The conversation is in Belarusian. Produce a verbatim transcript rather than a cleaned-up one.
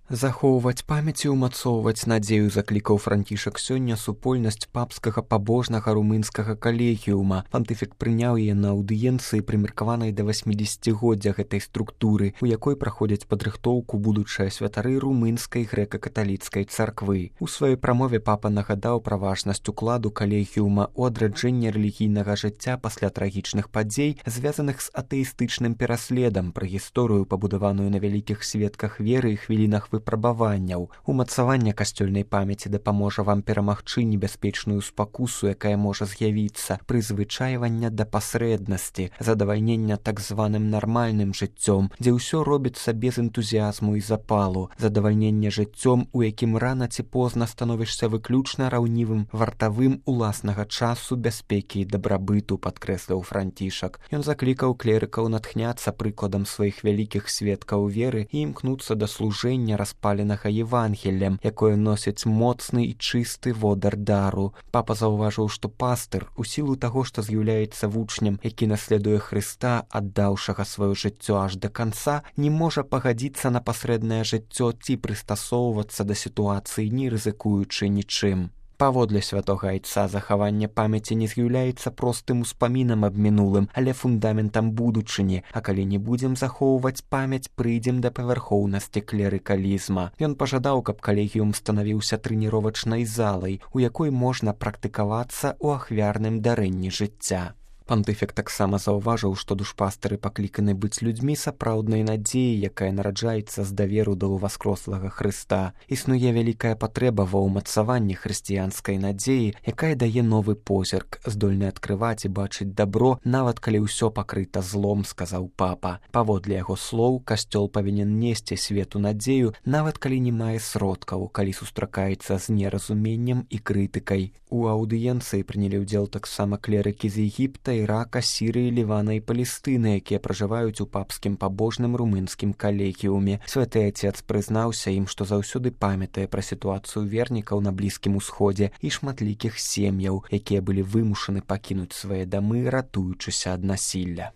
Захоўваць памяць і ўмацоўваць надзею заклікаў Францішак сёння супольнасць папскага пабожнага румынскага калегіума. Пантыфік прыняў яе на аўдыенцыі, прымеркаванай да васьмідзесяцігоддзя гэтай структуры, у якой праходзяць падрыхтоўку будучыя святары румынскай грэка-каталіцкай царквы. У сваёй прамове папа нагадаў пра важнасць укладу калегіума ў адраджэнне рэлігійнага жыцця пасля трагічных падзей, звязаных з атэістычным пераследам, пра гісторыю, пабудаваную на вялікіх сведках веры і хвілінах выпрабаванняў. Умацаванне касцёльнай памяці дапаможа вам перамагчы небяспечную спакусу, якая можа з'явіцца, прызвычайвання да пасрэднасці, задавальнення так званым нармальным жыццём, дзе ўсё робіцца без энтузіязму і запалу, задавальнення жыццём, у якім рана ці позна становішся выключна раўнівым вартавым уласнага часу, бяспекі і дабрабыту, падкрэсліў Францішак. Ён заклікаў клерыкаў натхняцца прыкладам сваіх вялікіх сведкаў веры і імкнуцца да служэння распаленага Евангеллем, якое носіць моцны і чысты водар дару. Папа заўважыў, што пастыр, у сілу таго, што з'яўляецца вучнем, які наследуе Хрыста, аддаўшага сваё жыццё аж да канца, не можа пагадзіцца на пасрэднае жыццё ці прыстасоўвацца да сітуацыі, не рызыкуючы нічым. Паводле святога айца захаванне памяці не з'яўляецца простым успамінам аб мінулым, але фундаментам будучыні, а калі не будзем захоўваць памяць, прыйдзем да павярхоўнасці клерыкалізма. Ён пажадаў, каб калегіум станавіўся трэніровачнай залай, у якой можна практыкавацца ў ахвярным дарэнні жыцця. Пантыфік таксама заўважыў, што душпастары пакліканы быць людзьмі сапраўднай надзеі, якая нараджаецца з даверу да ўваскрослага Хрыста. Існуе вялікая патрэба ва ўмацаванні хрысціянскай надзеі, якая дае новы позірк, здольны адкрываць і бачыць дабро, нават калі ўсё пакрыта злом, сказаў папа. Паводле яго слоў, касцёл павінен несці свету надзею, нават калі не мае сродкаў, калі сустракаецца з неразуменнем і крытыкай. У аўдыенцыі прынялі ўдзел таксама клерыкі з Егіпта, Ірака, Сірыі, Лівана і Палестыны, якія пражываюць у папскім пабожным румынскім калегіуме. Святы айцец прызнаўся ім, што заўсёды памятае пра сітуацыю вернікаў на Блізкім Усходзе і шматлікіх сем'яў, якія былі вымушаны пакінуць свае дамы, ратуючыся ад насілля.